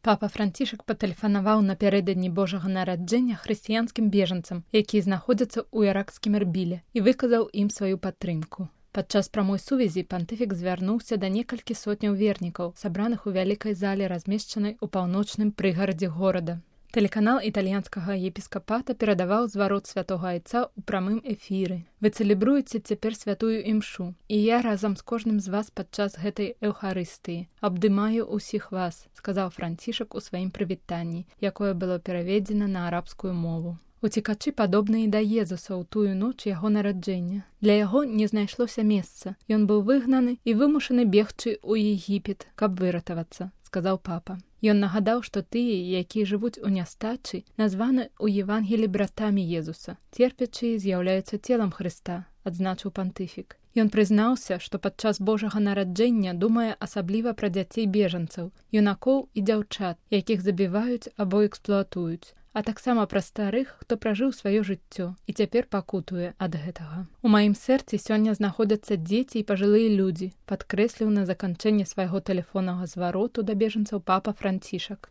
Папа Францішак патэлефанаваў напярэдадні Божага нараджэння хрысціянскім бежанцам, якія знаходзяцца ў іракскім Эрбіле, і выказаў ім сваю падтрымку. Падчас прамой сувязі пантыфік звярнуўся да некалькі сотняў вернікаў, сабраных у вялікай зале, размешчанай у паўночным прыгарадзе горада. Тэлеканал італьянскага епіскапата перадаваў зварот святога айца ў прамым эфіры. Вы цэлебруеце цяпер святую імшу, і я разам з кожным з вас падчас гэтай эўхарыстыі абдымаю ўсіх вас, сказаў Францішак у сваім прывітанні, якое было пераведзена на арабскую мову. Уцекачы падобныя да Езуса ў тую ноч яго нараджэння. Для яго не знайшлося месца. Ён быў выгнаны і вымушаны бегчы ў Егіпет, каб выратавацца, сказаў папа. Ён нагадаў, што тыя, якія жывуць у нястачы, названы ў Евангелі братамі Езуса. Церпячыя з'яўляюцца целам Хрыста, адзначыў пантыфік. Ён прызнаўся, што падчас Божага нараджэння думае асабліва пра дзяцей бежанцаў, юнакоў і дзяўчат, якіх забіваюць або эксплуатуюць, а таксама пра старых, хто пражыў сваё жыццё і цяпер пакутуе ад гэтага. У маім сэрцы сёння знаходзяцца дзеці і пажылыя людзі, падкрэсліў на заканчэнне свайго тэлефоннага звароту да бежанцаў папа Францішак.